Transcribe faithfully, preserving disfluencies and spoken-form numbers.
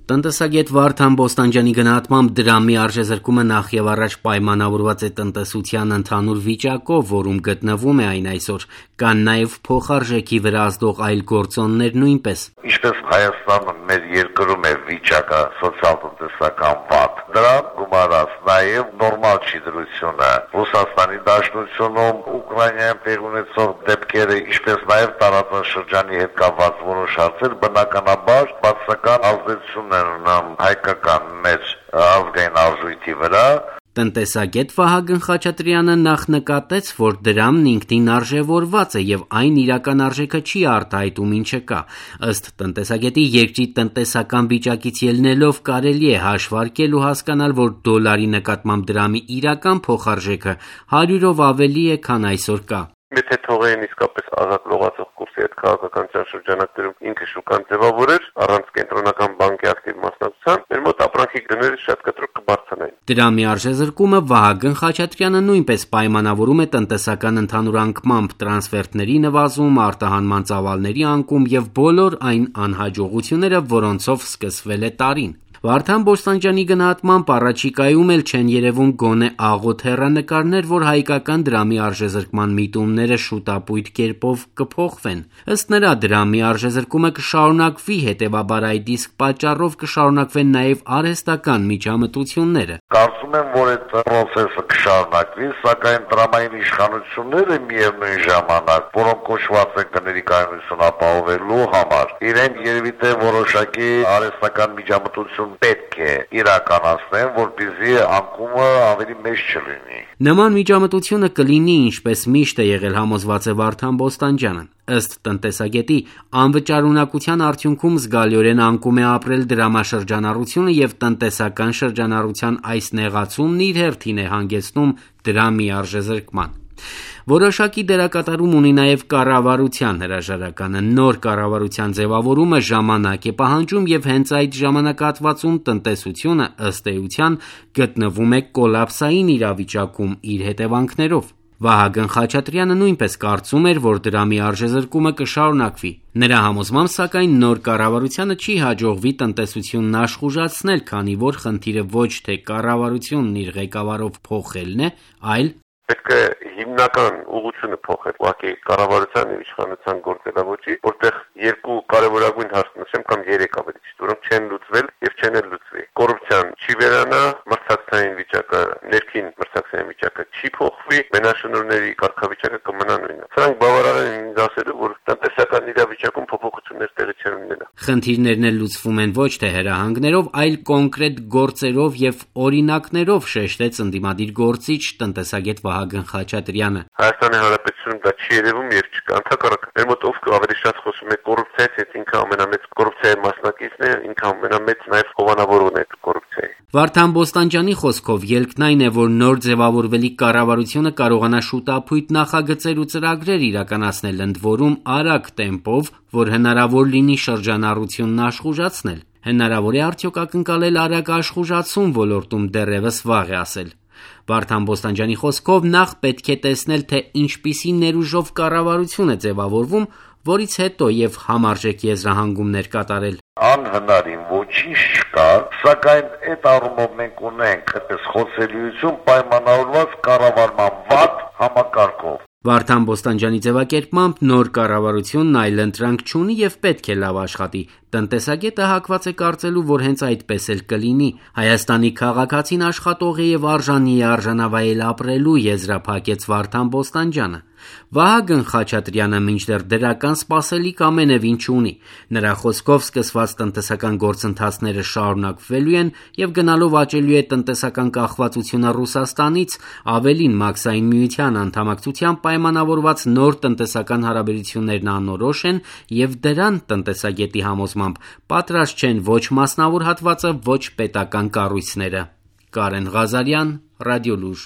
Տնտեսագետ Վարդան Բոստանջյանի գնահատմամբ դրամի արժեզրկումը նախ եւ առաջ պայմանավորված է տնտեսության ընդհանուր վիճակով, որում գտնվում է այն այսօր, կան նաեւ փոխարժեքի վրա ազդող այլ գործոններ նույնպես։ Ինչպես Հայաստանը մեր երկրում է վիճակը սոցիալ-տնտեսական վատ, դրան գումարած նաեւ նորմալ չի դրությունը Ռուսաստանի Դաշնությունում, Ուկրաինայում տեղ ունեցող դեպքերը, ինչպես նաեւ տարածաշրջանի հետ կապված որոշ հարցեր բնականաբար բացական ազդեցություն ունեն հայկական մեծ ազգային արժույթի վրա։ Տնտեսագետ Վահագն Խաչատրյանը նախ նկատեց, որ դրամն ինքնին արժևորված է եւ այն իրական արժեքը չի արտահայտում ինչը կա։ Ըստ տնտեսագետի, երկրի տնտեսական վիճակից ելնելով կարելի է հաշվարկել ու հասկանալ, որ դոլարի նկատմամբ դրամի իրական փոխարժեքը հարյուրով ավելի է, քան այսօր կա։ Եթե թողեին իսկապես ազատ լողացող կուրսի այդ քաղաքական ճաշրջանակներում ինքը շուկան ձևավորեր առանց կենտրոնական բանկի ակտիվ մասնակցության, մեր մոտ ապրանքի գները շատ կտրուկ կբարձրանային։ Դրամի արժեզրկումը Վահագն Խաչատրյանը նույնպես պայմանավորում է տնտեսական ընդհանուր անկմամբ, տրանսֆերտների նվազում, արտահանման ծավալների անկում եւ բոլոր այն անհաջողությունները, որոնցով սկսվել է տարին։ Վարդան Բոստանջյանի գնահատմամբ առաջիկայում էլ չեն երևում գոնե աղոտ հեռանկարներ, որ հայկական դրամի արժեզրկման միտումները շուտապույտ կերպով կփոխվեն։ Ըստ նրա, դրամի արժեզրկումը կշարունակվի, հետևաբար այդ իսկ պատճառով կշարունակվեն նաև արհեստական միջամտությունները։ Կարծում եմ, որ այդ process-ը կշարունակվի, սակայն դրամային իշխանությունները միևնույն ժամանակ, որոնք կոչված են գների կայունություն ապահովելու համար, իրենք երևի թե որոշակի արհեստական միջամտություն պետք է իրականացնեն, որպեսզի անկումը ավելի մեծ չլինի։ Նման միջամտությունը կլինի, ինչպես միշտ է եղել, համոզված է Վարդան Բոստանջյանը։ Ըստ տնտեսագետի, անվճարունակության արդյունքում զգալիորեն անկում է ապրել դրամաշրջանառությունը եւ տնտեսական շրջանառության այս նեղացումն իր հերթին է հանգեցնում դրամի արժեզրկման։ Որոշակի դերակատարում ունի նաև կառավարության հրաժարականը։ Նոր կառավարության ձևավորումը ժամանակ է պահանջում եւ հենց այդ ժամանակահատվածում տնտեսությունը ըստ էության գտնվում է կոլապսային իրավիճակում իր հետևանքներով։ Վահագն Խաչատրյանը նույնպես կարծում էր, որ դրամի արժեզրկումը կշարունակվի։ Նրա համոզմամբ, սակայն, նոր կառավարությանը չի հաջողվի տնտեսությունն աշխուժացնել, քանի որ խնդիրը ոչ թե կառավարությունն իր ղեկավարով փոխելն է, այլ պետք է հիմնական ուղղությունը փոխել, ուղղակի կառավարության եւ իշխանության գործելավոճի, որտեղ երկու կարևորագույն հարց նշեմ կամ երեք ավելի ճիշտ, որոնք չեն լուծվել եւ չեն էլ լուծվի։ Կոռուպցիան չի վերանա, մրցակցային վիճակը, ներքին մրցակցային վիճակը չի փոխվի, մենաշնորհների կարգավիճակը կմնա նույնը։ Սրանք բավարար են ինձ ասելու, որ տնտեսական իրավիճակում փոփոխություններ տեղի չեն ունենա։ Խնդիրներն էլ լուծվում են ոչ թե հրահանգներով, այլ կոնկրետ գործերով եւ օրինակներով, շեշտեց ընդդիմադիր գործիչ տնտեսագետ Վահագն Խաչատրյանը։ Հայաստանի Հանրապետությունում դա չի երևում եւ չկա։ Ընդհակառակը, մեր մոտ ով ավելի շատ խոսում է կոռուպցիայից, այդ ինքը ամենամեծ կոռուպցիայի մասնակիցն է, ինքը ամենամեծ նաեւ հովանավորն է կոռուպցիայի։ Վարդան Բոստանջյանի խոսքով ելքն այն է, որ նոր ձևավորվելիք կառավարությունը կարողանա շուտապույտ նախագծեր ու ծրագրեր իրականացնել, ընդ որում արագ տեմպով, որ հնարավոր լինի շրջանառությունն աշխուժացնել։ Հնարավոր է արդյոք ակնկալել արագ աշխուժացում ոլորտում, դեռևս վաղ է ասել։ Վարդան Բոստանջյանի խոսքով նախ պետք է տեսնել, թե ինչպիսի ներուժով կառավարություն է ձևավորվում, որից հետո եւ համարժեք եզրահանգումներ կատարել։ Անհնարին ոչինչ չկա, սակայն այդ առումով մենք ունենք այդպես խոցելիություն պայմանավորված կառավարման վատ համակարգով։ Վարդան Բոստանջյանի ձևակերպմամբ նոր կառավարությունն այլընտրանք չունի եւ պետք է լավ աշխատի։ Տնտեսագետը հակված է կարծելու, որ հենց այդպես էլ կլինի։ Հայաստանի քաղաքացին աշխատող է եւ արժանի է արժանավայել ապրելու, եզրափակեց Վարդան Բոստանջյանը։ Վահագն Խաչատրյանը մինչդեռ դրական սպասելիք ամենևին չունի։ Նրա խոսքով սկսված տնտեսական գործընթացները շարունակվելու են եւ գնալով աճելու է տնտեսական կախվածությունը Ռուսաստանից, ավելին Մաքսային միության անդամակցությամբ պայմանավորված նոր տնտեսական հարաբերություններն անորոշ են եւ դրան տնտեսագետի համոզմամբ պատրաստ չեն ոչ մասնավոր հատվածը, ոչ պետական կառույցները։ Կարեն Ղազարյան, Ռադիոլուր։